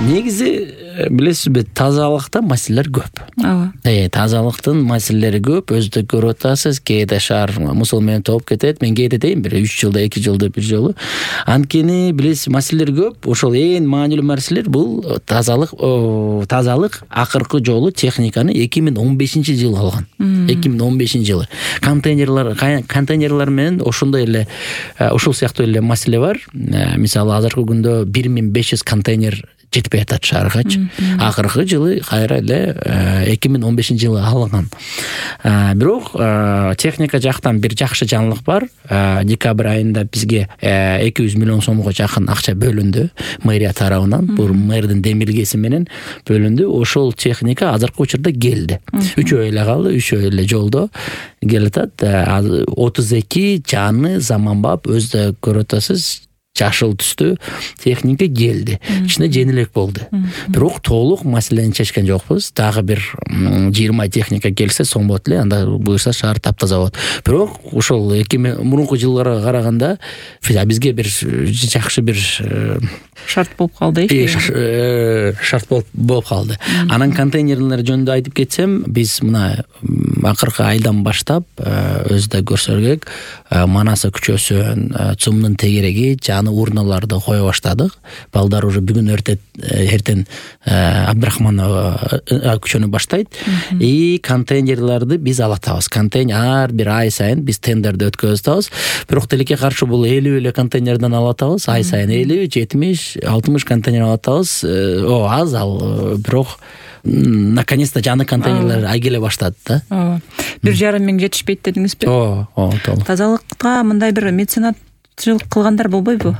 негизи билесизби, тазалыкта маселелер көп. Ооба. Тазалыктын маселелери көп. Өзүдө көрүп атасыз, кээде шаар мусул менен толуп кетет. Мен кээде дейм, бир 3 жылда 2 жылда бир жолу. Анткени билесиз, маселелер көп. Ошол эң маанилүү маселелер бул тазалык. Тазалык акыркы жолу техниканы 2015-жылы алган. 2015-жылы. Контейнерлер менен ошондой эле, ошол сыяктуу эле маселе бар. Мисалы, азыркы күндө 1500 контейнер жетпей атат шааргачы. Акыркы жылы кайра эле 2015-жылы алынган. Бирок техника жактан бир жакшы жаңылык бар. Декабрь айында бизге 200 миллион сомго жакын акча бөлүндү мэрия тарабынан. Бул мэрдин демилгеси менен бөлүндү. Ошол техника азыркы учурда келди. 3 эле калды, 3 эле жолдо келатат. 32 жаңы заманбап, өзү көрүп атасыз, жашыл түстүү техника келди. Кичине жеңилирээк болду. Бирок толук маселени чечкен жокпуз. Дагы бир 20 техника келсе соң болот эле, анда буюрса шаар таптаза болот. Бирок ошол мурунку жылдарга караганда бизге бир жакшы бир шарт болуп калды. Шарт болуп калды. Анан контейнерлер жөнүндө айтып кетсем, биз мына акыркы айдан баштап өзүдө көрсөң керек, Манаса көчөсүн, ЦУМдун тегереги, жаңы урналарды кое баштадык. Балдар уже бүгүн эртең Абдрахманова көчөнү баштайт. И контейнерлерди биз алатабыз. Ар бир ай сайын биз тендерди өткөзүп атабыз. Бирок тилекке каршы бул 50 эле контейнерден алатабыз. Ай сайын 50, 70, 60 контейнер алатабыз. Аз ал, бирок наконец-то жаңы контейнерлер келе баштады да. 1,5 миң жетишпейт дедиңизби? Толук. Тазалыкка мындай бир меценатчылык кылгандар болбойбу?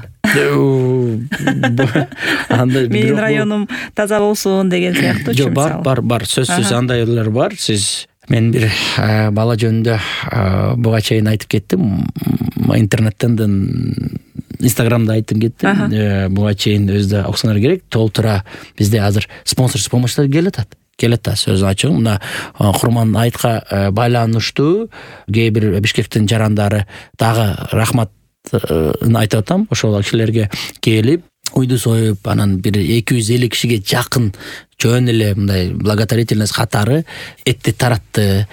Менин районум таза болсун деген сыяктуу. Жок, бар, сөзсүз андайлар бар. Мен бир бала жөнүндө буга чейин айтып кеттим. Интернеттен Инстаграмда айтып кеттим. Буга чейин өзүдө оксоңор керек. Толтура бизде азыр спонсорсуз помощьтар келатат. Сөз ачык. Мына Курман айтка байланыштуу кээ бир Бишкектин жарандары дагы рахмат айтып атам. Ошол кишилерге келип уйду союп, анан бир 250 кишиге жакын жөн эле мындай благотворительность катары этти таратты.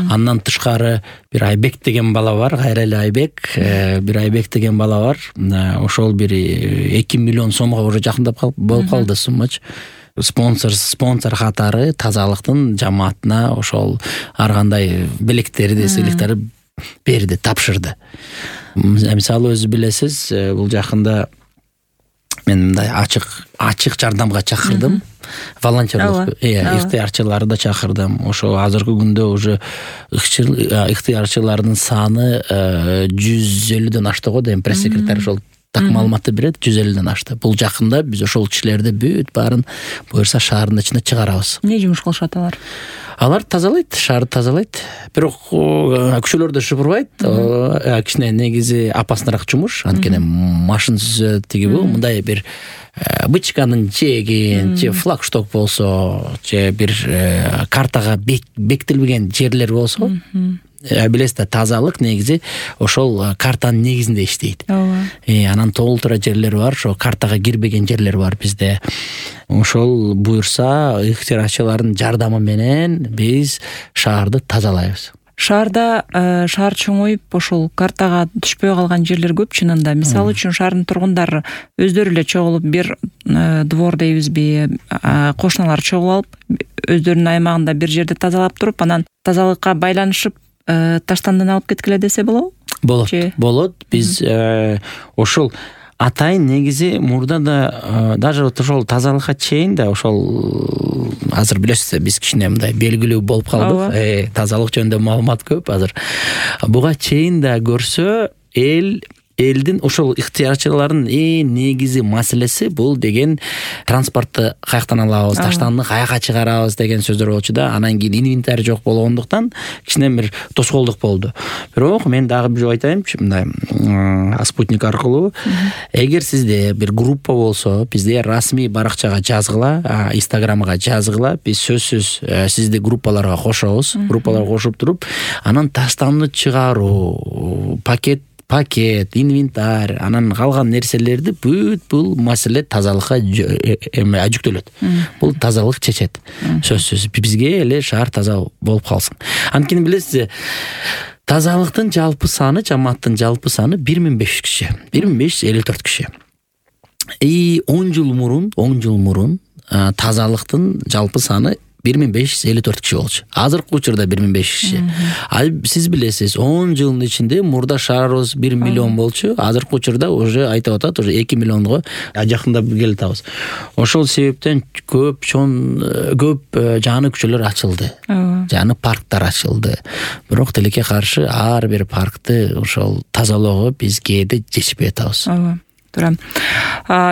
Андан тышкары бир Айбек деген бала бар, кайра эле Айбек, бир Айбек деген бала бар. Ошол бир 2 миллион сомго уже жакындап болуп калды суммачы. Спонсор катары тазалыктын жамаатына ошол ар кандай белектерди, сыйлыктарды берди, тапшырды. Мисалы өзү билесиз, бул жакында мен мындай ачык жардамга чакырдым. Волонтерлык, ыктыярчыларды чакырдым. Ошо азыркы күндө уже ыктыярчылардын саны 150ден ашты го дейм. Пресс-секретарь ошол так маалыматты берет, 150ден ашты. Бул жакында биз ошол кишилерди бүт баарын буюрса шаардын ичине чыгарабыз. Эмне жумуш кылышат алар? Алар тазалайт, шаарды тазалайт. Бирок күчөлөрдө шыпырбайт. Кичине негизи опасныраак жумуш. Анткени машин сүзөт, бул мындай бир бычканын жегин, же флагшток болсо, же бир картага бекитилбеген жерлер болсо, билесиз, тазалык негизи ошол картанын негизинде иштейт. Анан толтура жерлер бар, ошо картага кирбеген жерлер бар бизде. Ошол буюрса, ыктыярчылардын жардамы менен биз шаарды тазалайбыз. Шаарда шаар чоңоюп, ошол картага түшпөй калган жерлер көп чынында. Мисалы үчүн шаардын тургундары өздөрү эле чогулуп, бир двор дейбизби, кошуналар чогулуп алып, өздөрүнүн аймагында бир жерди тазалап туруп, анан тазалыкка байланышып таштандан алып кеткиле десе болобу? Болот. Биз ошол атайын негизи мурда да даже ошол тазалыкка чейин да ошол азыр билесиз, биз кичине мындай белгилүү болуп калдык. Тазалык жөнүндө маалымат көп азыр. Буга чейин да көрсө элдин ошол ыктыярчылардын эң негизи маселеси бул деген транспортты каяктан алабыз, таштанды каяка чыгарабыз деген сөздөр болчу да. Анан кийин инвентарь жок болгондуктан кичине бир тоскоолдук болду. Бирок мен дагы бир айтайынчы, мындай спутник аркылуу, эгер сизде бир группа болсо, бизде расмий баракчага жазгыла, Инстаграмга жазгыла, биз сөзсүз сизди группаларга кошобуз. Группаларга кошуп туруп, анан таштанды чыгаруу, пакет, инвентарь, анан калган нерселерди бүт бул маселе тазалыкка жүктөлөт. Бул тазалык чечет. Сөзсүз бизге эле шаар таза болуп калсын. Анткени билесиз, тазалыктын жалпы саны, жамааттын жалпы саны 1500 киши, 1554 киши. 10 жыл мурун тазалыктын жалпы саны 1554 киши болчу. Азыркы учурда 1500 киши. Сиз билесиз, 10 жылдын ичинде мурда шаарыбыз 1 миллион болчу. Азыркы учурда уже айтып атат, уже 2 миллионго жакындап келатабыз. Ошол себептен көп жаңы көчөлөр ачылды. Жаңы парктар ачылды. Бирок тилекке каршы ар бир паркты ошол тазалоого биз кээде жетишпей атабыз. Туура.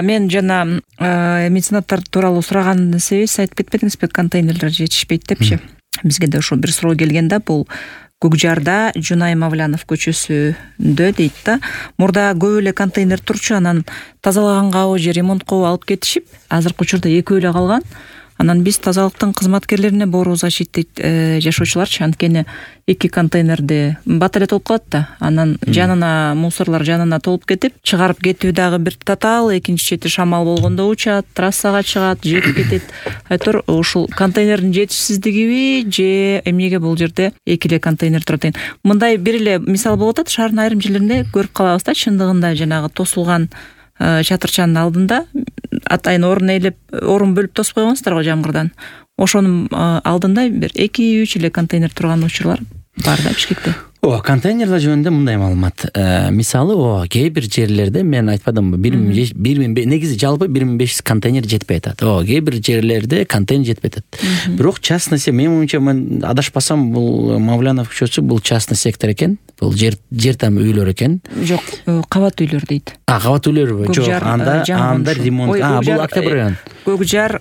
Мен жана меценаттар тууралуу сураганын себеби айтып кетпедиңизби, контейнерлер жетишпейт депчи. Бизге да ошол бир суроо келген да, бул Көкжарда Жунай Мавлянов көчөсүндө дейт да. Мурда көп эле контейнер турчу, анан тазалаганга же ремонткого алып кетишип, азыркы учурда экөө эле калган. Анан биз тазалыктын кызматкерлерине боорубуз ачыйт дейт жашоочуларчы. Анткени 2 контейнерди бат эле толуп калат да. Анан жанына мусорлор жанына толуп кетип, чыгарып кетүү дагы бир татаал, экинчи чети шамал болгондо учат, трассага чыгат, жетип кетет. Айтор ушул контейнердин жетишсиздигиби же эмнеге бул жерде 2 эле контейнер турат экен. Мындай бир эле мисал болуп атат, шаардын айрым жерлеринде көрүп калабыз да, чындыгында жанагы тосулган чатырчанын алдында атайын орун бөлүп тосуп койгонсуздар го жамгырдан. Ошонун алдында бир 2-3 эле контейнер турган учурлар бар да Бишкекте. Контейнерлер жөнүндө мындай маалымат. Мисалы, кээ бир жерлерде мен айтпадымбы, негизи жалпы 1500 контейнер жетпей атат. Кээ бир жерлерде контейнер жетпей атат. Бирок частный сектор, менин оюмча, мен адашпасам, бул Мавлянов көчөсү бул частный сектор экен. Бул жер там үйлөр экен. Жок, кабат үйлөр дейт. Кабат үйлөр. Жок, анда ремонт. Бул Октябрь район. Көкжар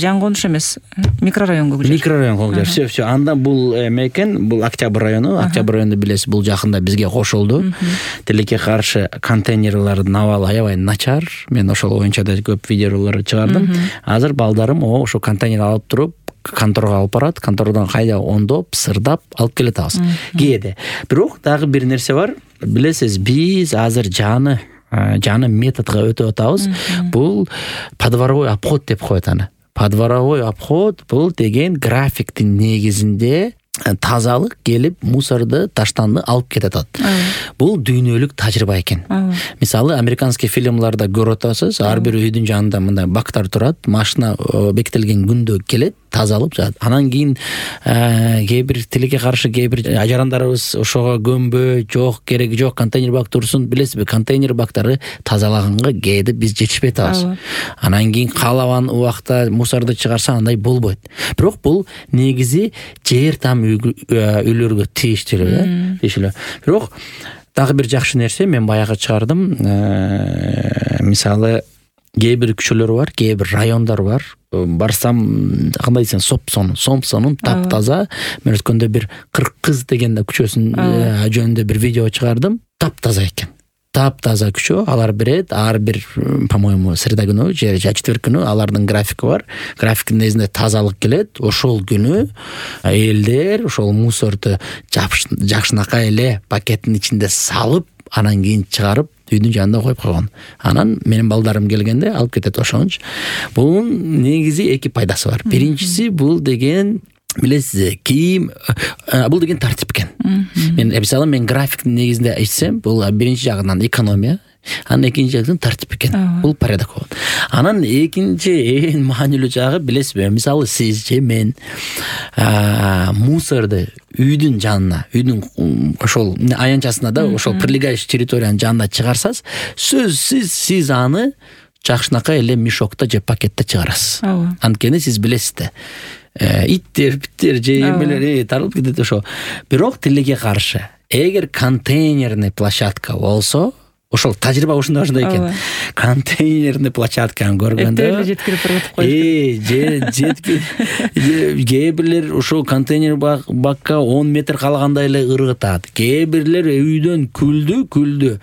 жаңгонуш эмес, микрорайон Көкжар. Микрорайон Көкжар. Все. Анда бул экен, бул Октябрь району. Октябрь району билесиз, бул жакында бизге кошулду. Тилекке каршы контейнерлердин абалы аябай начар. Мен ошол боюнча да көп видеолор чыгардым. Азыр балдарым ошо контейнер алып туруп конторго алып барат, контордон кайда оңдоп, сырдап алып келет атабыз. Кээде. Бирок дагы бир нерсе бар. Билесиз, биз азыр жаңы методго өтүп атабыз. Бул подворовой обход деп коет аны. Подворовой обход бул деген графиктин негизинде тазалык келип мусорду, таштанды алып кетет атат. Бул дүйнөлүк тажрыйба экен. Мисалы, американский фильмларда көрүп атасыз, ар бир үйдүн жанында мындай бактар турат, машина бекитилген күндө келет, тазалып жатат. Анан кийин кээ бир тилекке каршы кээ бир ажарандарыбыз ошого көмбө, жок, кереги жок, контейнер бак турсун. Билесизби, контейнер бактары тазалаганга кээде биз жетишпей атабыз. Анан кийин каалаган убакта мусорду чыгарса андай болбойт. Бирок бул негизи жер там үйлөргө тийиштүү. Бирок дагы бир жакшы нерсе мен баягы чыгардым. Мисалы, кээ бир көчөлөр бар, кээ бир райондар бар. Барсам, кандай десем, Сомсонун таптаза. Мен өткөндө бир Кыркыз деген көчөсүн жөнүндө бир видео чыгардым. Таптаза экен. Таптаза көчө, алар берет, ар бир, по-моему, среда күнү же четверг күнү алардын графики бар. Графиктин негизинде тазалык келет. Ошол күнү элдер ошол мусорду жакшынакай эле пакеттин ичинде салып, анан кийин чыгарып үйдүн жанында коюп койгон. Анан менин балдарым келгенде алып кетет ошончу. Бунун негизи 2 пайдасы бар. Биринчиси, бул деген, билесиз, бул деген тартип экен. Мен графиктин негизинде айтсам, бул биринчи жагынан экономия, анан экинчи жагынан тартип экен. Бул порядок болот. Анан экинчи эң маанилүү жагы, билесизби, мисалы сиз же мен мусорду үйдүн жанына, үйдүн ошол аянчасына да, ошол прилегающий территориянын жанына чыгарсаңыз, сиз аны жакшынакай эле мешокто же пакетте чыгарасыз. Анткени сиз билесиз да, иттер, биттер же эмелер таралып кетет ошо. Бирок тилекке каршы, эгер контейнерный площадка болсо, ошол тажрыйба ушундай экен. Контейнерный площадканы көргөндө жеткирип коюп кээ бирлер ошол контейнер бакка 10 метр калгандай эле ыргытат. Кээ бирлер үйдөн күлдү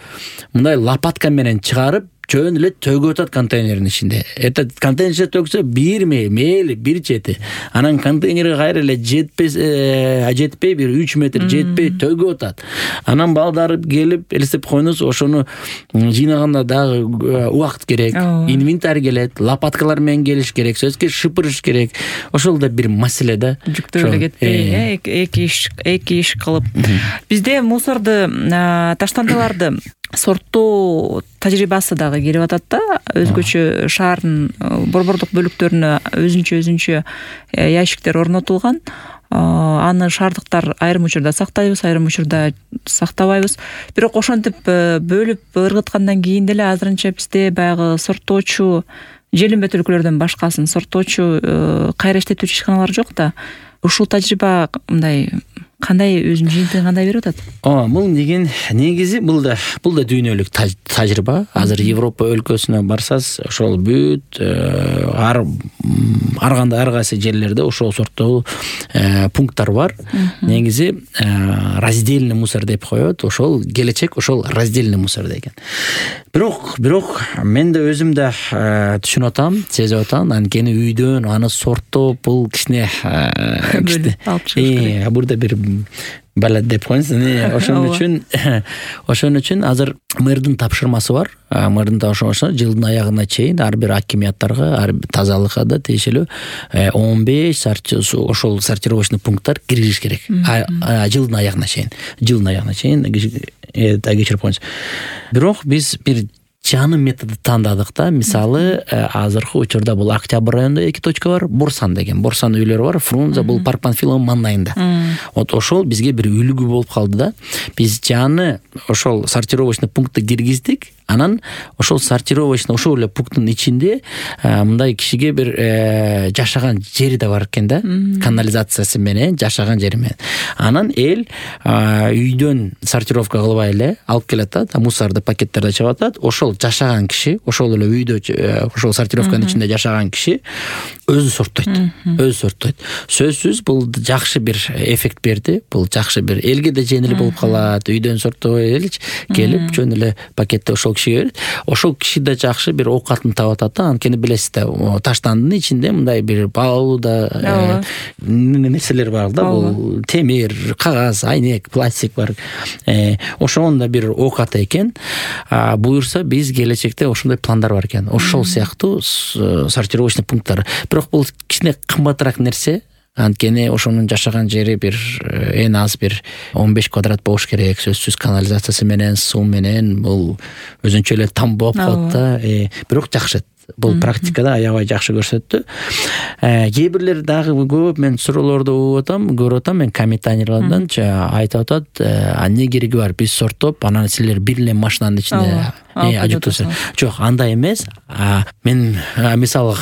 мындай лопатка менен чыгарып жөн эле төгүп атат контейнердин ичинде. Этот контейнер ичинде төгсө бир мейли бир чети. Анан контейнерге кайра эле жетпей бир 3 метр жетпей төгүп атат. Анан балдар келип элестеп коюңуз, ошону жыйнаганда дагы убакыт керек, инвентарь келет, лопаткалар менен келиш керек, сөзгө шыпырыш керек. Ошол да бир маселе да. Жүктөп эле кетпей, эки иш кылып. Бизде мусорду, таштандыларды сорттоо тажрыйбасы дагы келип атат да. Өзгөчө шаардын борбордук бөлүктөрүнө өзүнчө ящиктер орнотулган. Аны шаардыктар айрым учурда сактайбыз, айрым учурда сактабайбыз. Бирок ошентип бөлүп ыргыткандан кийин деле азырынча бизде баягы сорттоочу желимбет өлкөлөрдөн башкасын сорттоочу кайра иштетүүчү ишканалар жок да. Ушул тажрыйба мындай кандай өзүнүн жыйынтыгын кандай берип атат? Бул негизи бул да дүйнөлүк тажрыйба. Азыр Европа өлкөсүнө барсаңыз, ошол бүт ар кайсы жерлерде ошол сорттоо пункттар бар. Негизи раздельный мусор деп коет. Ошол келечек, ошол раздельный мусор деген. Бирок мен да өзүм да түшүнүп атам, сезип атам. Анткени үйдөн аны сорттоп бул кичине бурда бир балат деп коюңуз. Ошон үчүн азыр мэрдин тапшырмасы бар. Мэрдин тапшырмасы жылдын аягына чейин ар бир акимияттарга, тазалыкка да тиешелүү 15 ошол сортировочный пункттар киргизиш керек. Жылдын аягына чейин. Кечирип коюңуз. Бирок биз бир жаңы методу тандадык да. Мисалы, азыркы учурда бул Октябрь районунда 2 точка бар, Борсан деген. Борсан үйлөрү бар, Фрунзе бул Парк Панфилов маңдайында. Вот ошол бизге бир үлгү болуп калды да. Биз жаңы ошол сортировочный пунктты киргиздик. Анан ошол сортировочный ошол эле пункттун ичинде мындай кишиге бир жашаган жери да бар экен да. Канализациясы менен жашаган жери менен. Анан эл үйдөн сортировка кылбай эле алып келет да, мусорду пакеттерде чыгып атат. Ошол жашаган киши, ошол эле үйдө ошол сортировканын ичинде жашаган киши өзү сорттойт. Сөзсүз бул жакшы бир эффект берди. Бул жакшы бир элге да жеңил болуп калат. Үйдөн сорттой элич келип жөн эле пакетте ошол кишиге берет. Ошол киши да жакшы бир оокатын таап атат да. Анткени билесиз да, таштандын ичинде мындай бир баалуу да нерселер бар да. Бул темир, кагаз, айнек, пластик бар. Ошонун да бир оокаты экен. Буюрса биз келечекте ошондой пландар бар экен. Ошол сыяктуу сортировочный пункттар. Бирок бул кичине кымбатыраак нерсе. Анткени ошонун жашаган жери бир эң аз бир 15 квадрат болуш керек. Сөзсүз канализациясы менен, суу менен бул өзүнчө эле там болуп калат да. Бирок жакшы. Бул практикада аябай жакшы көрсөттү. Кээ бирлер дагы көп мен суроолорду көрүп атам, мен комментарийлерден айтып атат, эмне кереги бар, биз сорттоп, анан силер бир эле машинанын ичинде ажыктырсыз. Жок, андай эмес. Мен мисалы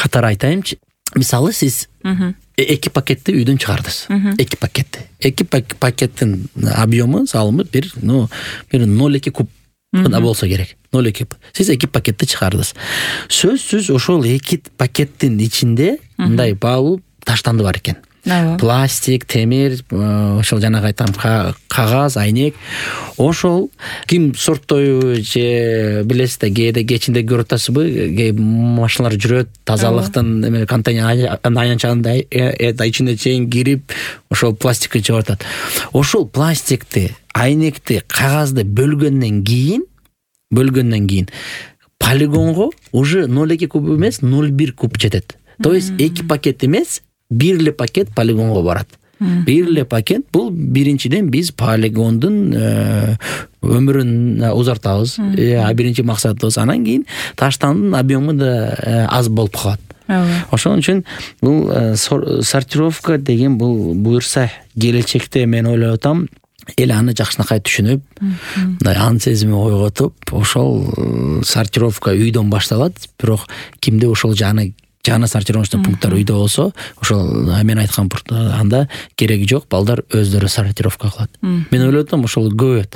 катары айтайынчы. Мисалы сиз 2 пакетти үйдөн чыгардыңыз. 2 пакетти. 2 пакеттин объему, салымы бир 0,2 куб да болсо керек. 0,2. Сиз 2 пакетти чыгардыңыз. Сөзсүз ошол 2 пакеттин ичинде мындай баалуу таштанды бар экен. Пластик, темир, ошол жана айткан кагаз, айнек. Ошол ким сорттойбу же билесиз да, кээде кечинде көрүп атасызбы, машиналар жүрөт, тазалыктын контейнер аянчанында ичине чейин кирип, ошол пластикти чыгып атат. Ошол пластикти, айнекти, кагазды бөлгөндөн кийин полигонго уже 0,2 куб эмес, 0,1 куб жетет. То есть 2 пакет эмес, бир эле пакет полигонго барат. Бир эле пакет бул биринчиден биз полигондун өмүрүн узартабыз. Биринчи максатыбыз. Анан кийин таштандын объему да аз болуп калат. Ошон үчүн бул сортировка деген бул буюрса келечекте мен ойлоп атам, эл аны жакшынакай түшүнүп, ан сезими ойготуп, ошол сортировка үйдөн башталат. Бирок кимде ошол жаңы сортировочный пункттар үйдө болсо, ошол мен айткан анда кереги жок, балдар өздөрү сортировка кылат. Мен ойлоп атам, ошол көбөйөт.